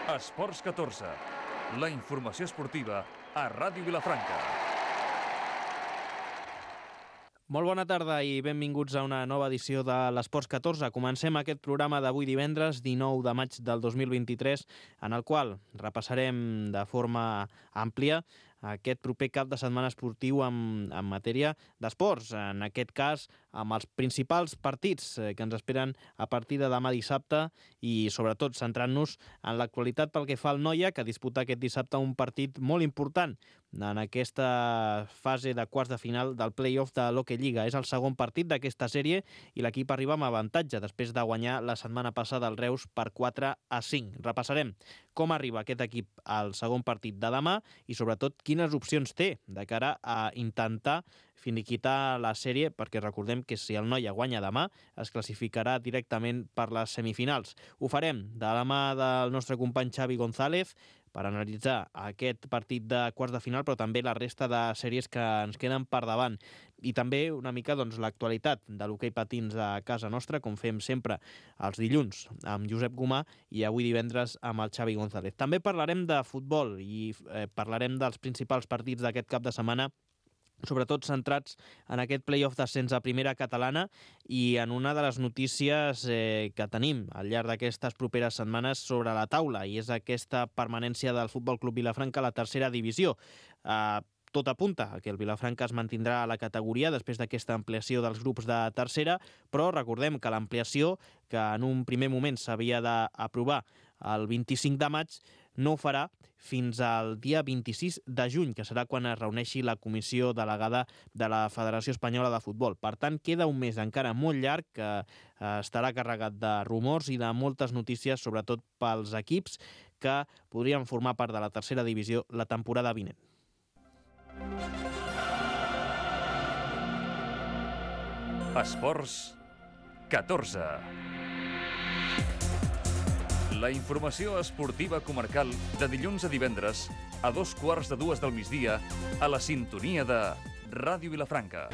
Esports 14, la informació esportiva a Ràdio Vilafranca. Molt bona tarda i benvinguts a una nova edició de l'Esports 14. Comencem aquest programa d'avui divendres, 19 de maig del 2023, en el qual repassarem de forma àmplia aquest proper cap de setmana esportiu en matèria d'esports. En aquest cas, amb els principals partits que ens esperen a partir de demà dissabte i, sobretot, centrant-nos en l'actualitat pel que fa al Noia, que disputa aquest dissabte un partit molt important en aquesta fase de quarts de final del play-off de l'Hockey Lliga. És el segon partit d'aquesta sèrie i l'equip arriba amb avantatge després de guanyar la setmana passada el Reus per 4-5. Repassarem com arriba aquest equip al segon partit de demà i, sobretot, quines opcions té de cara a intentar finiquitar la sèrie, perquè recordem que si el Noia guanya demà es classificarà directament per les semifinals. Ho farem de la mà del nostre company Xavi González per analitzar aquest partit de quarts de final, però també la resta de sèries que ens queden per davant. I també una mica l'actualitat de l'hoquei patins a casa nostra, com fem sempre els dilluns amb Josep Gomà i avui divendres amb el Xavi González. També parlarem de futbol i parlarem dels principals partits d'aquest cap de setmana, sobretot centrats en aquest play-off d'ascens a primera catalana i en una de les notícies que tenim al llarg d'aquestes properes setmanes sobre la taula, i és aquesta permanència del Futbol Club Vilafranca a la tercera divisió. Tot apunta a que el Vilafranca es mantindrà a la categoria després d'aquesta ampliació dels grups de tercera, però recordem que l'ampliació, que en un primer moment s'havia d'aprovar el 25 de maig, no ho farà fins al dia 26 de juny, que serà quan es reuneixi la comissió delegada de la Federació Espanyola de Futbol. Per tant, queda un mes encara molt llarg que estarà carregat de rumors i de moltes notícies, sobretot pels equips que podrien formar part de la tercera divisió la temporada vinent. Esports 14. La informació esportiva comarcal de dilluns a divendres a 2:15 del migdia a la sintonia de Ràdio Vilafranca.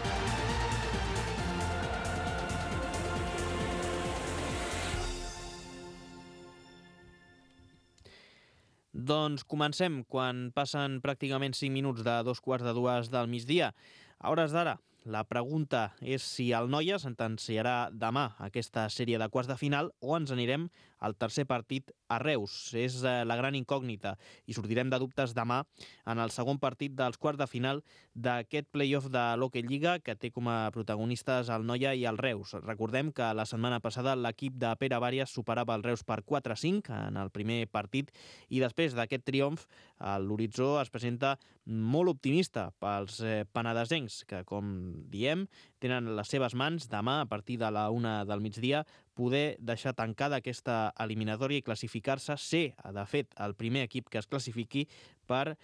Doncs comencem quan passen pràcticament 5 minuts de 2:15 del migdia. A hores d'ara, la pregunta és si el Noia sentenciarà demà aquesta sèrie de quarts de final o ens anirem al tercer partit a Reus. És la gran incògnita i sortirem de dubtes demà en el segon partit dels quarts de final d'aquest play-off de l'Hockey Lliga que té com a protagonistes el Noia i el Reus. Recordem que la setmana passada l'equip de Pere Bàrias superava el Reus per 4-5 en el primer partit i després d'aquest triomf l'horitzó es presenta molt optimista pels penedesencs que, com diem, tenen les seves mans demà a partir de la 1 del migdia poder deixar tancada aquesta eliminatòria i classificar-se, ser, de fet, el primer equip que es classifiqui per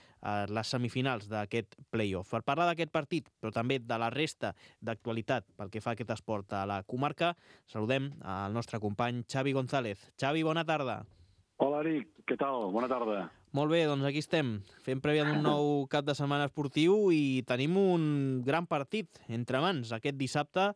les semifinals d'aquest play-off. Per parlar d'aquest partit, però també de la resta d'actualitat pel que fa a aquest esport a la comarca, saludem al nostre company Xavi González. Xavi, bona tarda. Hola, Eric. Què tal? Bona tarda. Molt bé, doncs aquí estem, fent prèvia d'un nou cap de setmana esportiu i tenim un gran partit entre mans aquest dissabte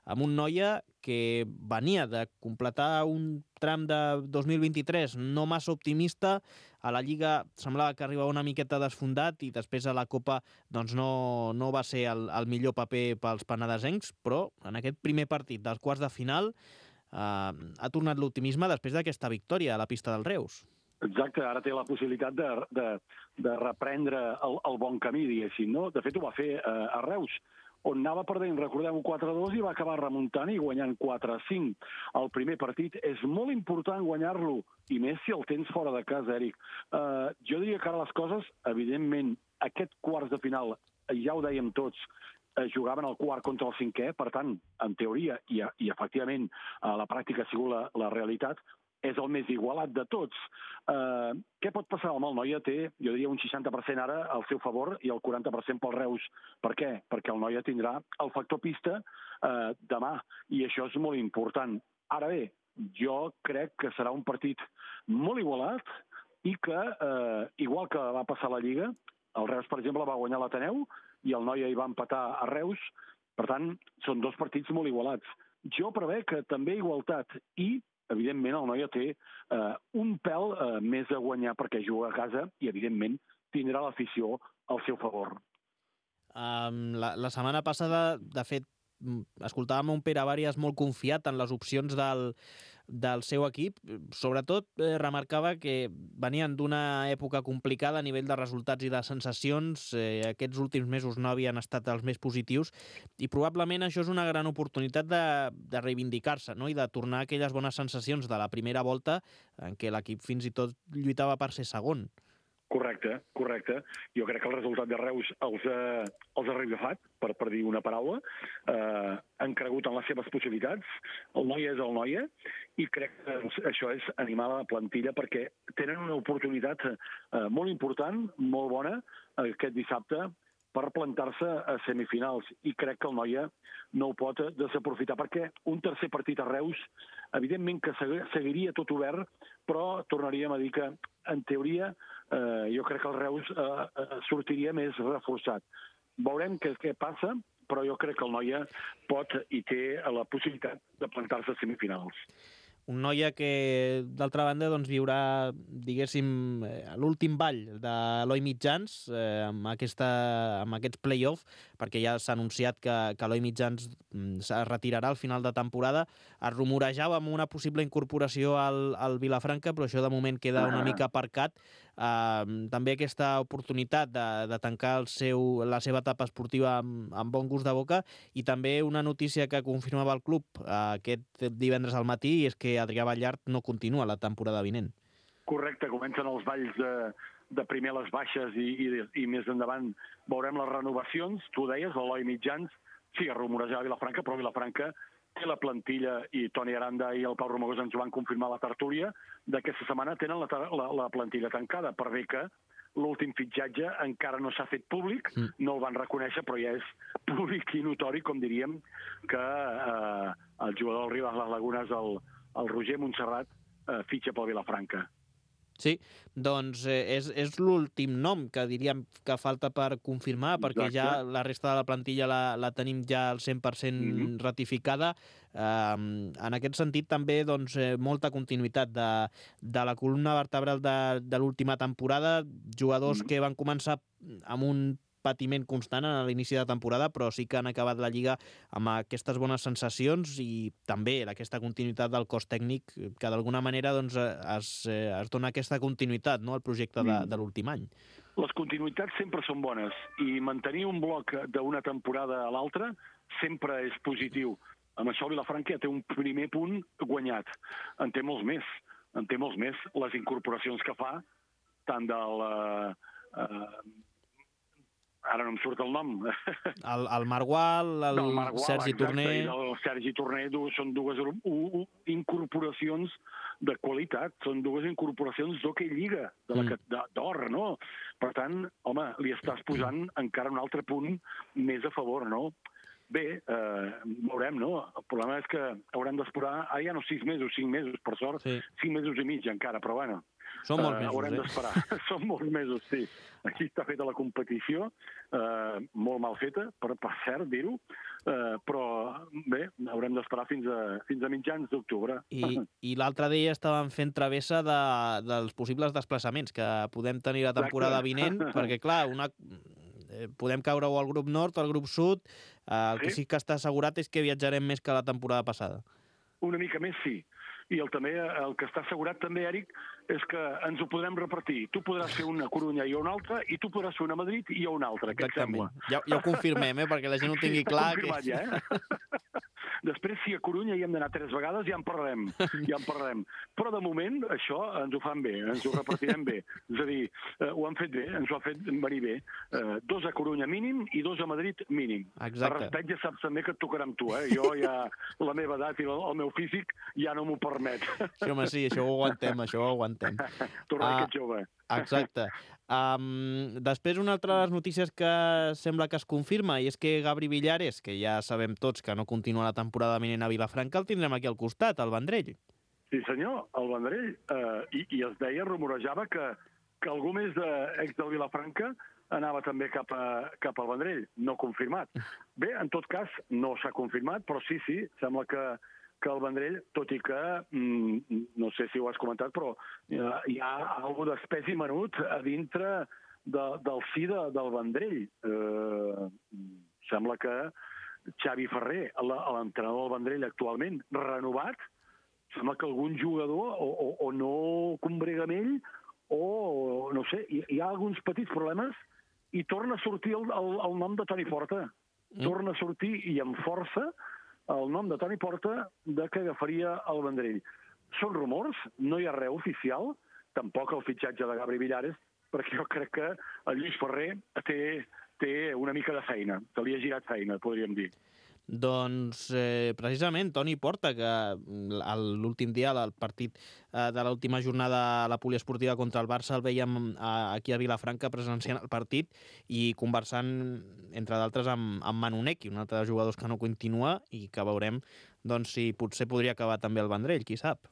amb un Noia que venia de completar un tram de 2023 no massa optimista. A la Lliga semblava que arribava una miqueta desfondat i després a la Copa doncs no va ser el millor paper pels penedesencs, però en aquest primer partit dels quarts de final ha tornat l'optimisme després d'aquesta victòria a la pista del Reus. Exacte, ara té la possibilitat de reprendre el bon camí, diguéssim, no? De fet, ho va fer a Reus, on anava perdent, recordem-ho, 4-2 i va acabar remuntant i guanyant 4-5. El primer partit és molt important guanyar-lo, i més si el tens fora de casa, Eric. Jo diria que ara les coses, evidentment, aquest quarts de final, ja ho dèiem tots, jugaven el quart contra el cinquè, per tant, en teoria, i efectivament a la pràctica ha sigut la realitat, és el més igualat de tots. Què pot passar? El Noia té, jo diria, un 60% ara al seu favor i el 40% pel Reus. Per què? Perquè el Noia tindrà el factor pista demà, i això és molt important. Ara bé, jo crec que serà un partit molt igualat i que, igual que va passar a la Lliga, el Reus, per exemple, va guanyar l'Ateneu i el Noia hi va empatar a Reus. Per tant, són dos partits molt igualats. Jo prevec que també igualtat i evidentment el Noia té un pèl més a guanyar perquè juga a casa i, evidentment, tindrà l'afició al seu favor. La setmana passada, de fet, escoltàvem un Pere Bàrias molt confiat en les opcions del seu equip. Sobretot remarcava que venien d'una època complicada a nivell de resultats i de sensacions. Aquests últims mesos no havien estat els més positius i probablement això és una gran oportunitat de reivindicar-se, no? I de tornar a aquelles bones sensacions de la primera volta en què l'equip fins i tot lluitava per ser segon. Correcte. Jo crec que el resultat de Reus els ha revifat, per dir una paraula. Han cregut en les seves possibilitats. El Noia és el Noia i crec que això és animar la plantilla perquè tenen una oportunitat molt important, molt bona, aquest dissabte, per plantar-se a semifinals. I crec que el Noia no ho pot desaprofitar, perquè un tercer partit a Reus, evidentment que seguiria tot obert, però tornaríem a dir que, en teoria, jo crec que el Reus sortiria més reforçat. Veurem què passa, però jo crec que el Noia pot i té la possibilitat de plantar-se a semifinals. Un Noia que, d'altra banda, doncs, viurà, diguéssim, l'últim ball de Eloi Mitjans amb aquests play-off, perquè ja s'ha anunciat que Eloi Mitjans es retirarà al final de temporada. Es rumorejava amb una possible incorporació al Vilafranca, però això de moment queda una mica aparcat. També aquesta oportunitat de tancar la seva etapa esportiva amb bon gust de boca, i també una notícia que confirmava el club aquest divendres al matí, i és que Adrià Ballart no continua la temporada vinent. Correcte, comencen els balls de primer les baixes i més endavant veurem les renovacions. Tu deies, l'Eloi Mitjans, sí, es rumorejava a Vilafranca, però Vilafranca té la plantilla, i Toni Aranda i el Pau Romagós ens ho van confirmar a la tertúlia, d'aquesta setmana tenen la plantilla tancada, per bé que l'últim fitxatge encara no s'ha fet públic, no el van reconèixer, però ja és públic i notori, com diríem, que el jugador del Ribas Les Lagunes, el Roger Montserrat, fitxa pel Vilafranca. Sí, doncs és l'últim nom que diríem que falta per confirmar, perquè ja la resta de la plantilla la tenim ja al 100% ratificada. En aquest sentit, també doncs, molta continuïtat de la columna vertebral de l'última temporada, jugadors que van començar amb un patiment constant a l'inici de temporada, però sí que han acabat la Lliga amb aquestes bones sensacions, i també aquesta continuïtat del cos tècnic, que d'alguna manera doncs, es dona aquesta continuïtat, no?, al projecte de l'últim any. Les continuïtats sempre són bones, i mantenir un bloc d'una temporada a l'altra sempre és positiu. Amb això Vilafranca té un primer punt guanyat. En té molts més. Les incorporacions que fa, tant del... ara no em surt el nom. El Margual, Sergi Torner... El Sergi Torner són dues incorporacions de qualitat, són dues incorporacions d'Hockey Lliga, d'or, no? Per tant, home, li estàs posant encara un altre punt més a favor, no? Bé, veurem, no? El problema és que haurem d'esperar, ja no 6 mesos, per sort, 5 mesos i mig encara, però bueno, són molts mesos, haurem d'esperar. Són molts mesos, sí. Aquí està feta la competició, molt mal feta, per cert, dir-ho, però bé, haurem d'esperar fins a mitjans d'octubre. I l'altre dia estàvem fent travessa dels possibles desplaçaments que podem tenir la temporada vinent, perquè, clar, podem caure o al grup nord o al grup sud. El que sí que està assegurat és que viatjarem més que la temporada passada. Una mica més, sí. I el que està assegurat també, Eric, és que ens ho podrem repartir. Tu podràs fer una a Corunya i una altra, i tu podràs fer una a Madrid i una altra. Què et sembla? Ja ho confirmem, perquè la gent ho tingui clar. Sí, està confirmat, Després, si a Corunya hi hem d'anar 3 vegades, ja en parlarem. Però, de moment, això ens ho fan bé, ens ho repartirem bé. És a dir, ho han fet bé, ens ho ha fet venir bé. 2 a Corunya mínim i 2 a Madrid mínim. Exacte. Per respecte, ja saps també que et tocarà amb tu, Jo ja, la meva edat i el meu físic ja no m'ho permet. Sí, home, sí, això ho aguantem. Tornar aquest jove. Exacte. Després, una altra de les notícies que sembla que es confirma, i és que Gabri Villares, que ja sabem tots que no continua la temporada vinent a Vilafranca, el tindrem aquí al costat, al Vendrell. Sí, senyor, al Vendrell. I es deia, rumorejava, que algú més ex del Vilafranca anava també cap al Vendrell. No confirmat. Bé, en tot cas, no s'ha confirmat, però sí, sembla que que el Vendrell, tot i que, no sé si ho has comentat, però hi ha alguna d'espècie menut a dintre del si del Vendrell. Sembla que Xavi Ferrer, l'entrenador del Vendrell actualment, renovat, sembla que algun jugador o no combrega amb ell o no sé, hi ha alguns petits problemes i torna a sortir el nom de Toni Porta. Torna a sortir i amb força el nom de Toni Porta de que agafaria el Vendrell. Són rumors, no hi ha res oficial, tampoc el fitxatge de Gabri Villares, perquè jo crec que el Lluís Ferrer té una mica de feina, que li ha girat feina, podríem dir. Doncs precisament Toni Porta, que l'últim dia, al partit de l'última jornada a la poliesportiva contra el Barça, el veiem aquí a Vilafranca presenciant el partit i conversant, entre d'altres, amb Manu Necchi, un altre dels jugadors que no continua i que veurem si potser podria acabar també el Vendrell, qui sap.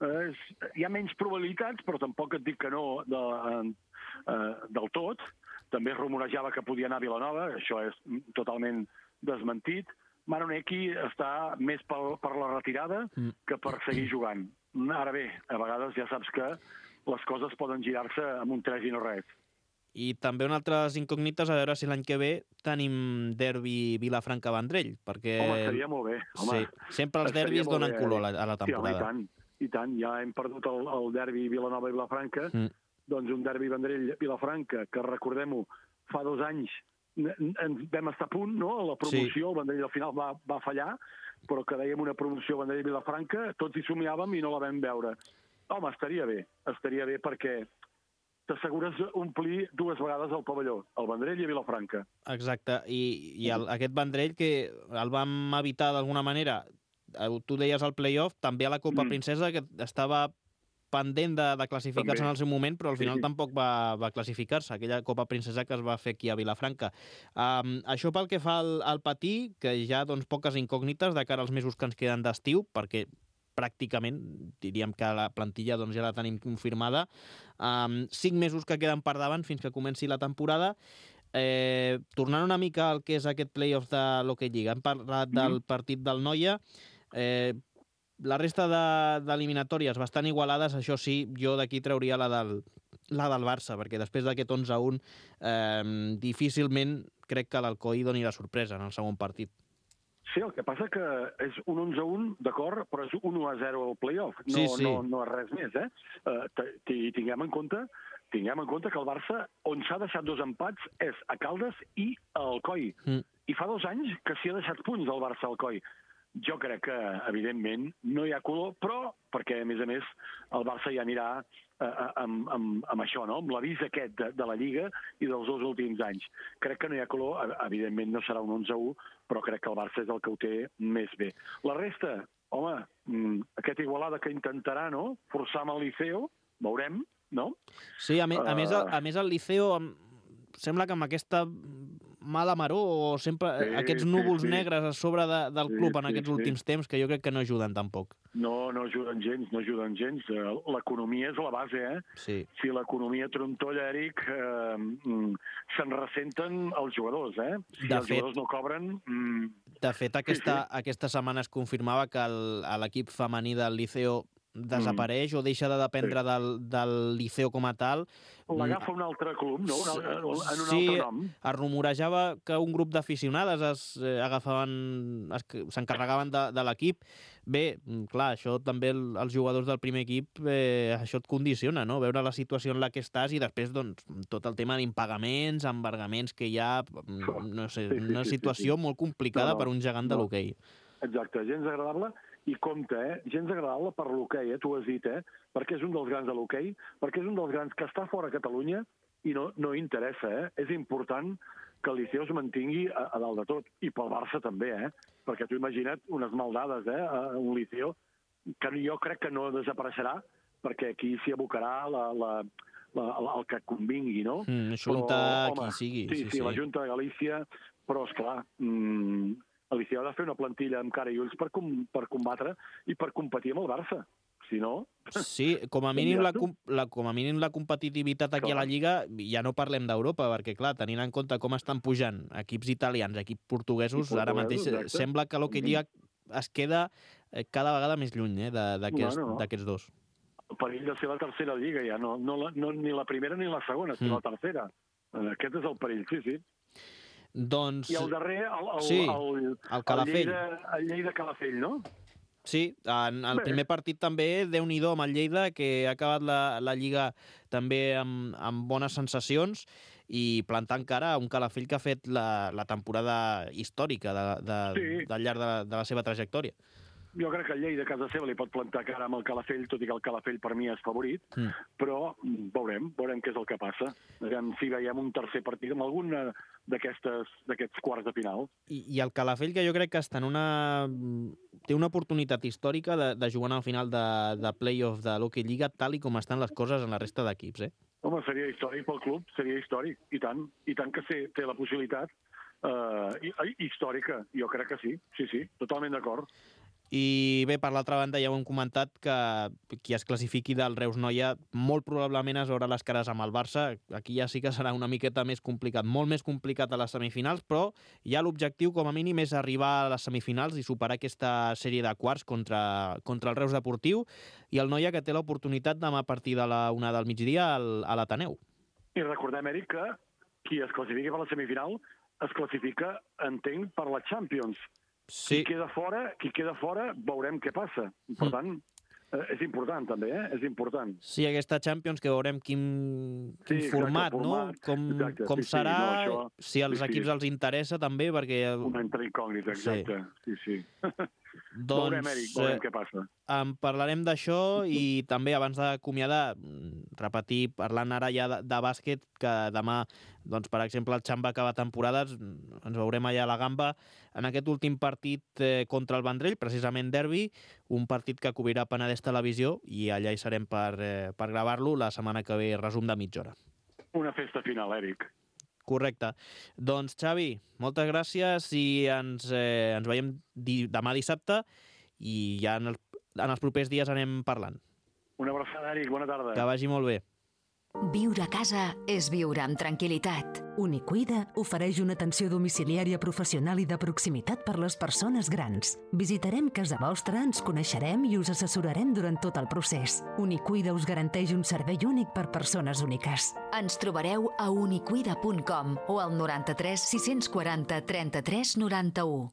Hi ha menys probabilitats, però tampoc et dic que no del tot. També es rumorejava que podia anar a Vilanova, això és totalment desmentit. Manu Necchi està més per la retirada que per seguir jugant. Ara bé, a vegades ja saps que les coses poden girar-se amb un 3 i no res. I també una altra de les incògnites, a veure si l'any que ve tenim derbi Vilafranca-Vendrell, perquè... Home, seria molt bé. Home, sí, sempre els derbis donen color a la temporada. Sí, i tant. Ja hem perdut el derbi Vilanova i Vilafranca, doncs un derbi Vendrell-Vilafranca, que recordem-ho, fa 2 anys ens vam estar a punt, no? La promoció, el Vendrell al final va fallar, però que dèiem una promoció Vendrell-Vilafranca, tots hi somiàvem i no la vam veure. Home, estaria bé perquè t'assegures omplir 2 vegades el pavelló, el Vendrell i Vilafranca. Exacte, i aquest Vendrell que el vam evitar d'alguna manera, tu deies al play-off, també a la Copa Princesa, que estava pendent de classificar-se en el seu moment, però al final tampoc va classificar-se, aquella Copa Princesa que es va fer aquí a Vilafranca. Això pel que fa al patí, que hi ha poques incògnites de cara als mesos que ens queden d'estiu, perquè pràcticament, diríem que la plantilla ja la tenim confirmada. 5 mesos que queden per davant fins que comenci la temporada. Tornant una mica al que és aquest play-off de l'Hockey Lliga, hem parlat del partit del Noia, la resta d'eliminatòries bastant igualades, això sí, jo d'aquí trauria la del Barça, perquè després d'aquest 11-1 difícilment crec que l'Alcoi doni la sorpresa en el segon partit. Sí, el que passa que és un 11-1, d'acord, però és 1-0 al play-off. Sí. No és res més, tinguem en compte que el Barça, on s'ha deixat 2 empats, és a Caldes i a Alcoi. I fa 2 anys que s'hi ha deixat punts al Barça a Alcoi. Jo crec que, evidentment, no hi ha color, però perquè, a més, el Barça ja anirà amb això, no? Amb l'avís aquest de la Lliga i dels 2 últims anys. Crec que no hi ha color, evidentment no serà un 11-1, però crec que el Barça és el que ho té més bé. La resta, home, aquest Igualada que intentarà, no?, forçar amb el Liceo, veurem, no? Sí, a més el Liceo sembla que amb aquesta mala maror o sempre aquests núvols negres a sobre del club en aquests últims temps que jo crec que no ajuden tampoc. No ajuden gens. L'economia és la base, Sí. Si l'economia trontolla, Eric, se'n ressenten els jugadors, Si els jugadors no cobren... De fet, aquesta setmana es confirmava que l'equip femení del Liceo desapareix o deixa de dependre del Liceo com a tal. L'agafa un altre club, no? En un sí, altre nom. Es rumorejava que un grup d'aficionades s'encarregaven de l'equip. Bé, clar, això també els jugadors del primer equip, això et condiciona, no? Veure la situació en la que estàs i després tot el tema d'impagaments, embargaments que hi ha, no sé, una situació molt complicada per un gegant de l'hoquei. Exacte, gens agradable. I compte, gens agradable per l'hoquei, tu has dit, perquè és un dels grans de l'hoquei, perquè és un dels grans que està fora de Catalunya i no interessa, És important que el Liceo es mantingui a dalt de tot. I pel Barça també, Perquè tu imagina't unes maldades, un Liceo, que jo crec que no desapareixerà, perquè aquí s'hi abocarà el que convingui, no? Junta qui sigui. Sí, la Junta de Galícia, però, esclar, el Liceo ha de fer una plantilla amb cara i ulls per combatre i per competir amb el Barça. Si no... Sí, com a mínim la competitivitat aquí a la Lliga, ja no parlem d'Europa, perquè, clar, tenint en compte com estan pujant equips italians, equips portuguesos, ara mateix sembla que l'Hockey Lliga es queda cada vegada més lluny d'aquests dos. El perill de ser la tercera lliga ja, no, ni la primera ni la segona, sinó la tercera. Aquest és el perill, sí. Doncs... I el darrer, el Calafell. El Lleida-Calafell, no? Sí, en el primer partit també, Déu-n'hi-do amb el Lleida, que ha acabat la Lliga també amb bones sensacions i plantant cara a un Calafell que ha fet la temporada històrica al llarg de la seva trajectòria. Jo crec que el Lleida a casa seva li pot plantar cara amb el Calafell, tot i que el Calafell per mi és favorit, però veurem què és el que passa. Si veiem un tercer partit amb algun d'aquests quarts de final. I el Calafell, que jo crec que té una oportunitat històrica de jugar al final de play-off de l'Hockey Lliga, tal i com estan les coses en la resta d'equips, eh? Home, seria històric pel club, seria històric, i tant que té la possibilitat històrica, jo crec que sí, totalment d'acord. I bé, per l'altra banda, ja ho hem comentat, que qui es classifiqui del Reus Noia molt probablement es veurà les cares amb el Barça. Aquí ja sí que serà una miqueta més complicat, molt més complicat a les semifinals, però ja l'objectiu, com a mínim, és arribar a les semifinals i superar aquesta sèrie de quarts contra el Reus Deportiu i el Noia, que té l'oportunitat demà a partir de la 1 del migdia a l'Ateneu. I recordem, Eric, que qui es classifiqui per la semifinal es classifica, entenc, per la Champions. Sí. Qui queda fora, veurem què passa. Per tant, és important, també, És important. Sí, aquesta Champions, que veurem quin format, no? Com serà, si als equips els interessa, també, perquè... Una incògnita, exacte. Sí. Doncs, veurem, Eric, veurem què passa. En parlarem d'això i també, abans d'acomiadar, repetir, parlant ara ja de bàsquet, que demà, doncs, per exemple, el Xamba acaba temporada, ens veurem allà a la Gamba en aquest últim partit contra el Vendrell, precisament derbi, un partit que cobrirà Penedès Televisió i allà hi serem per gravar-lo la setmana que ve, resum de mitja hora. Una festa final, Eric. Correcte. Doncs, Xavi, moltes gràcies i ens veiem demà dissabte i ja en els propers dies anem parlant. Una abraçada, Eric. Bona tarda. Que vagi molt bé. Viure a casa és viure amb tranquil·litat. Unicuida ofereix una atenció domiciliària professional i de proximitat per les persones grans. Visitarem casa vostra, ens coneixerem i us assessorarem durant tot el procés. Unicuida us garanteix un servei únic per persones úniques. Ens trobareu a unicuida.com o al 93 640 33 91.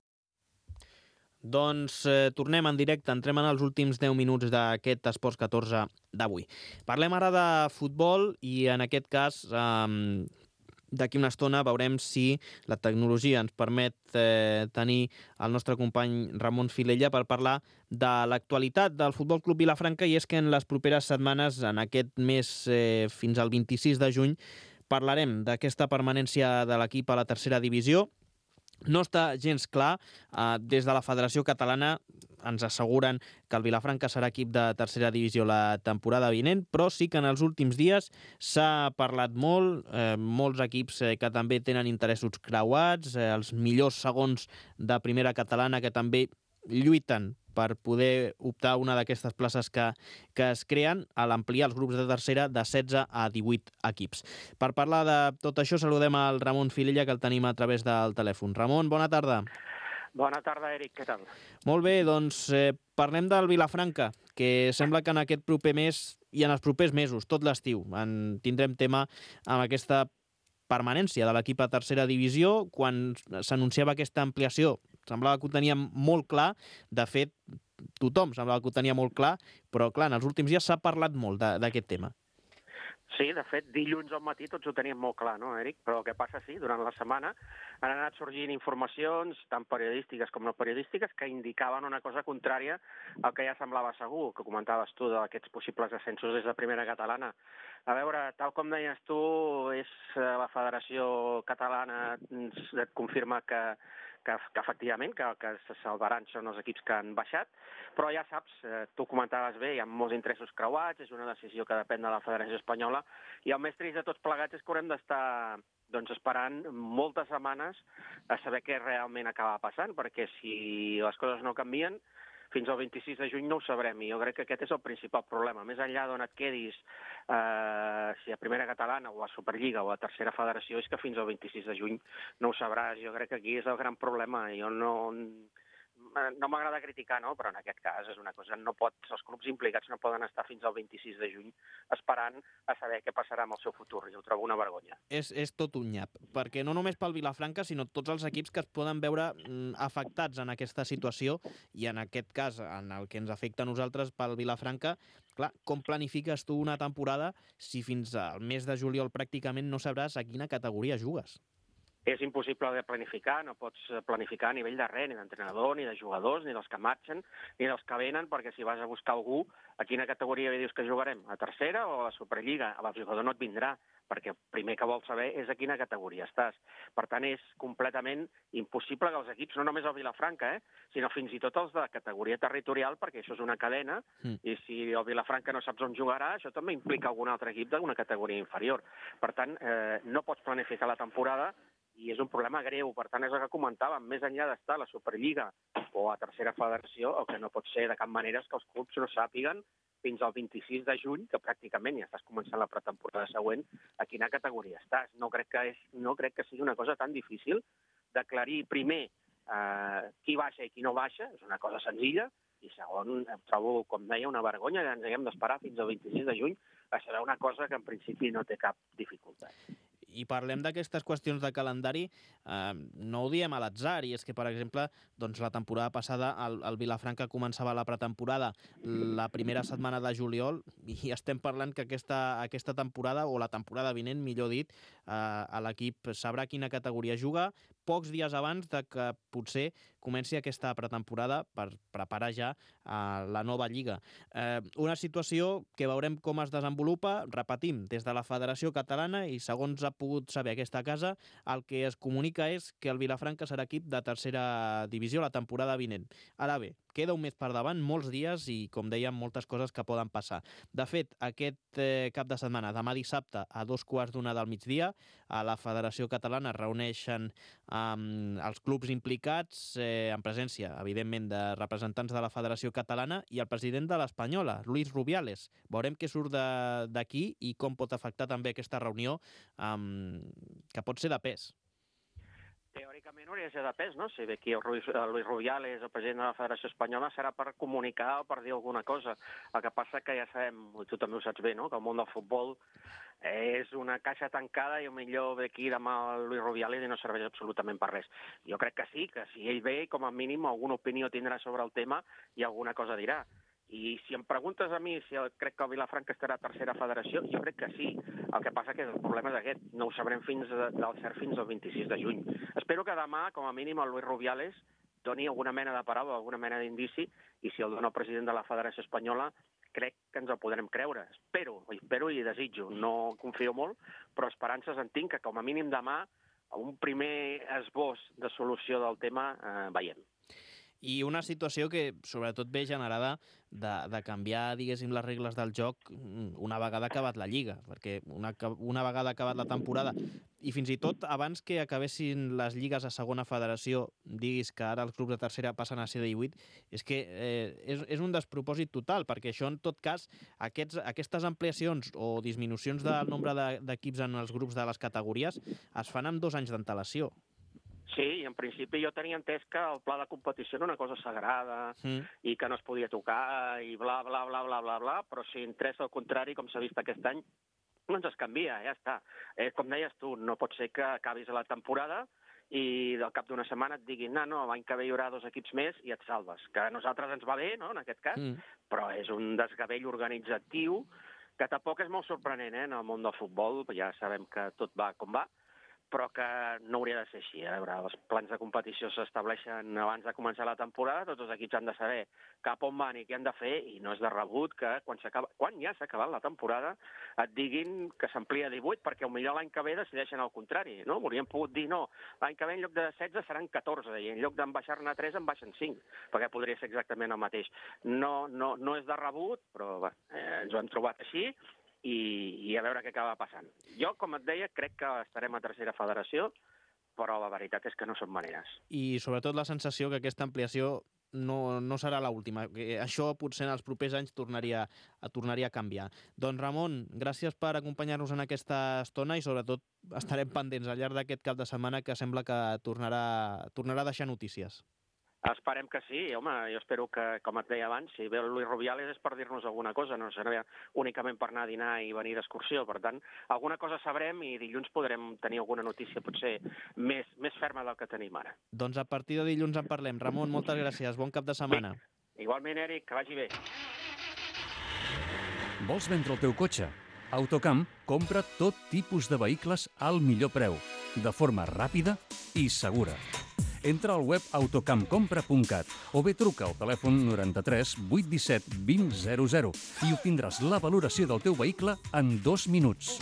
Doncs tornem en directe, entrem en els últims 10 minuts d'aquest Esports 14 d'avui. Parlem ara de futbol i en aquest cas d'aquí una estona veurem si la tecnologia ens permet tenir el nostre company Ramon Filella per parlar de l'actualitat del Futbol Club Vilafranca, i és que en les properes setmanes, en aquest mes fins al 26 de juny, parlarem d'aquesta permanència de l'equip a la tercera divisió. No està gens clar. Des de la Federació Catalana ens asseguren que el Vilafranca serà equip de tercera divisió la temporada vinent, però sí que en els últims dies s'ha parlat molt, molts equips que també tenen interessos creuats, els millors segons de primera catalana que també lluiten per poder optar a una d'aquestes places que es creen a l'ampliar els grups de tercera de 16 a 18 equips. Per parlar de tot això saludem al Ramon Filella, que el tenim a través del telèfon. Ramon, bona tarda. Bona tarda, Eric, què tal? Molt bé, doncs parlem del Vilafranca, que sembla que en aquest proper mes i en els propers mesos, tot l'estiu, en tindrem tema amb aquesta permanència de l'equip a tercera divisió. Quan s'anunciava aquesta ampliació semblava que ho teníem molt clar. De fet, tothom semblava que ho tenia molt clar, però clar, en els últims dies s'ha parlat molt d'aquest tema. Sí, de fet, dilluns al matí tots ho teníem molt clar, no, Eric? Però el que passa, sí, durant la setmana han anat sorgint informacions, tant periodístiques com no periodístiques, que indicaven una cosa contrària al que ja semblava segur, que comentaves tu d'aquests possibles ascensos des de primera catalana. A veure, tal com deies tu, és la Federació Catalana et confirma que efectivament, que se salvaran són els equips que han baixat, però ja saps, tu comentaves bé, hi ha molts interessos creuats, és una decisió que depèn de la Federació Espanyola, i el més trist de tots plegats és que haurem d'estar esperant moltes setmanes a saber què realment acaba passant, perquè si les coses no canvien, fins al 26 de juny no ho sabrem, i jo crec que aquest és el principal problema. Més enllà d'on et quedis, si a primera catalana o a Superliga o a tercera federació, és que fins al 26 de juny no ho sabràs. Jo crec que aquí és el gran problema. Jo no no m'agrada criticar, no? Però en aquest cas és una cosa, els clubs implicats no poden estar fins al 26 de juny esperant a saber què passarà amb el seu futur, i ho trobo una vergonya. És tot un nyap, perquè no només pel Vilafranca, sinó tots els equips que es poden veure afectats en aquesta situació, i en aquest cas, en el que ens afecta a nosaltres pel Vilafranca, clar, com planifiques tu una temporada si fins al mes de juliol pràcticament no sabràs a quina categoria jugues? És impossible de planificar, no pots planificar a nivell de res, ni d'entrenador, ni de jugadors, ni dels que marxen, ni dels que venen, perquè si vas a buscar algú, a quina categoria dius que jugarem? A tercera o a la Superliga? El jugador no et vindrà, perquè el primer que vol saber és a quina categoria estàs. Per tant, és completament impossible que els equips, no només el Vilafranca, sinó fins i tot els de categoria territorial, perquè això és una cadena, i si el Vilafranca no saps on jugarà, això també implica algun altre equip d'una categoria inferior. Per tant, no pots planificar la temporada, i és un problema greu. Per tant, és el que comentàvem, més enllà d'estar a la Superliga o a tercera federació, el que no pot ser de cap manera és que els clubs no sàpiguen fins al 26 de juny, que pràcticament ja estàs començant la pretemporada següent, a quina categoria estàs. No crec que sigui una cosa tan difícil d'aclarir primer qui baixa i qui no baixa, és una cosa senzilla, i segon, trobo, com deia, una vergonya que ens haguem d'esperar fins al 26 de juny a saber una cosa que en principi no té cap dificultat. I parlem d'aquestes qüestions de calendari, no ho diem a l'atzar, i és que, per exemple, doncs la temporada passada el Vilafranca començava la pretemporada la primera setmana de juliol, i estem parlant que aquesta temporada, o la temporada vinent, millor dit, l'equip sabrà quina categoria juga pocs dies abans de que potser comenci aquesta pretemporada per preparar ja la nova lliga. Una situació que veurem com es desenvolupa, repetim, des de la Federació Catalana, i segons ha pogut saber aquesta casa, el que es comunica és que el Vilafranca serà equip de tercera divisió la temporada vinent. Ara bé, queda un mes per davant, molts dies i, com dèiem, moltes coses que poden passar. De fet, aquest cap de setmana, demà dissabte, a 2:15 del migdia, a la Federació Catalana es reuneixen els clubs implicats, en presència, evidentment, de representants de la Federació Catalana i el president de l'Espanyola, Luis Rubiales. Veurem què surt d'aquí i com pot afectar també aquesta reunió, que pot ser de pes. Teòricament hauria de ser de pes, no? Si ve aquí el Luis Rubiales, el president de la Federació Espanyola, serà per comunicar o per dir alguna cosa. El que passa que ja sabem, i tu també ho saps bé, no?, que el món del futbol és una caixa tancada i millor ve aquí demà el Luis Rubiales i no serveix absolutament per res. Jo crec que sí, que si ell ve, com a mínim alguna opinió tindrà sobre el tema i alguna cosa dirà. I si em preguntes a mi si crec que el Vilafranca estarà a tercera federació, jo crec que sí. El que passa que el problema és aquest, no ho sabrem fins al 26 de juny. Espero que demà, com a mínim, el Luis Rubiales doni alguna mena de paraula, alguna mena d'indici, i si el dona el president de la Federació Espanyola, crec que ens el podrem creure. Espero i desitjo. No confio molt, però esperances en tinc que, com a mínim, demà un primer esbós de solució del tema veiem. I una situació que sobretot ve generada de canviar, diguéssim, les regles del joc una vegada acabat la Lliga, perquè una vegada acabat la temporada, i fins i tot abans que acabessin les lligues a segona federació, diguis que ara els clubs de tercera passen a ser de 18, és que és un despropòsit total, perquè això, en tot cas, aquestes ampliacions o disminucions del nombre d'equips en els grups de les categories es fan amb 2 anys d'antelació. Sí, i en principi jo tenia entès que el pla de competició era una cosa sagrada i que no es podia tocar i bla, bla, bla, bla, bla, bla, però si interessa al contrari, com s'ha vist aquest any, no ens es canvia, ja està. Com deies tu, no pot ser que acabis la temporada i al cap d'una setmana et diguin no, l'any que ve hi haurà 2 equips més i et salves. Que a nosaltres ens va bé, no?, en aquest cas, però és un desgavell organitzatiu que tampoc és molt sorprenent, en el món del futbol, ja sabem que tot va com va, però que no hauria de ser així. A veure, els plans de competició s'estableixen abans de començar la temporada, tots els equips han de saber cap on van i què han de fer, i no és de rebut que quan ja s'ha acabat la temporada et diguin que s'amplia a 18, perquè potser l'any que ve decideixen el contrari, no? Haurien pogut dir no, l'any que ve en lloc de 16 seran 14, i en lloc d'en baixar-ne 3 en baixen 5, perquè podria ser exactament el mateix. No és de rebut, però ens ho hem trobat així, i a veure què acaba passant. Jo, com et deia, crec que estarem a tercera federació, però la veritat és que no són maneres. I sobretot la sensació que aquesta ampliació no serà l'última. Això potser en els propers anys tornaria a canviar. Doncs Ramon, gràcies per acompanyar-nos en aquesta estona i sobretot estarem pendents al llarg d'aquest cap de setmana que sembla que tornarà a deixar notícies. Esperem que sí, home, jo espero que, com et deia abans, si ve el Luis Rubiales és per dir-nos alguna cosa, no serà únicament per anar a dinar i venir d'excursió. Per tant, alguna cosa sabrem i dilluns podrem tenir alguna notícia potser més ferma del que tenim ara. Doncs a partir de dilluns en parlem. Ramon, moltes gràcies. Bon cap de setmana. Igualment, Eric, que vagi bé. Vols vendre el teu cotxe? Autocamp compra tot tipus de vehicles al millor preu, de forma ràpida i segura. Entra al web autocampcompra.cat o bé truca al telèfon 93 817 2000 i obtindràs la valoració del teu vehicle en 2 minuts.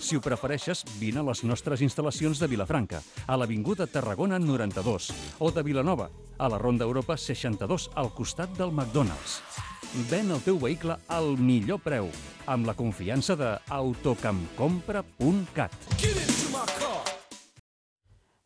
Si ho prefereixes, vine a les nostres instal·lacions de Vilafranca, a l'Avinguda Tarragona 92, o de Vilanova, a la Ronda Europa 62, al costat del McDonald's. Ven el teu vehicle al millor preu, amb la confiança de autocampcompra.cat.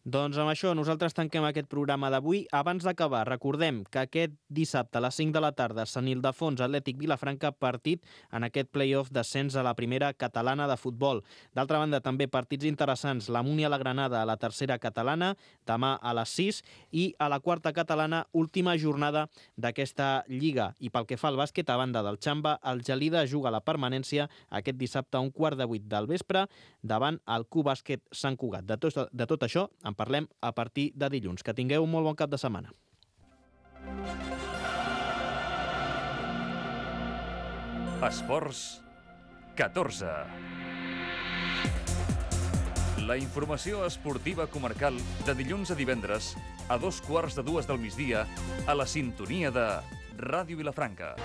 Doncs amb això nosaltres tanquem aquest programa d'avui. Abans d'acabar, recordem que aquest dissabte a les 5 de la tarda Sant Ildefons Atlètic Vilafranca, partit en aquest play-off d'ascens a la primera catalana de futbol. D'altra banda, també partits interessants, la Múnia la Granada a la tercera catalana, demà a les 6, i a la quarta catalana, última jornada d'aquesta lliga. I pel que fa al bàsquet, a banda del Xamba, el Gelida juga la permanència aquest dissabte a 7:15 del vespre davant el Club Bàsquet Sant Cugat. De tot això en parlem a partir de dilluns. Que tingueu un molt bon cap de setmana. Esports 14. La informació esportiva comarcal de dilluns a divendres a 2:15 del migdia a la sintonia de Ràdio Vilafranca.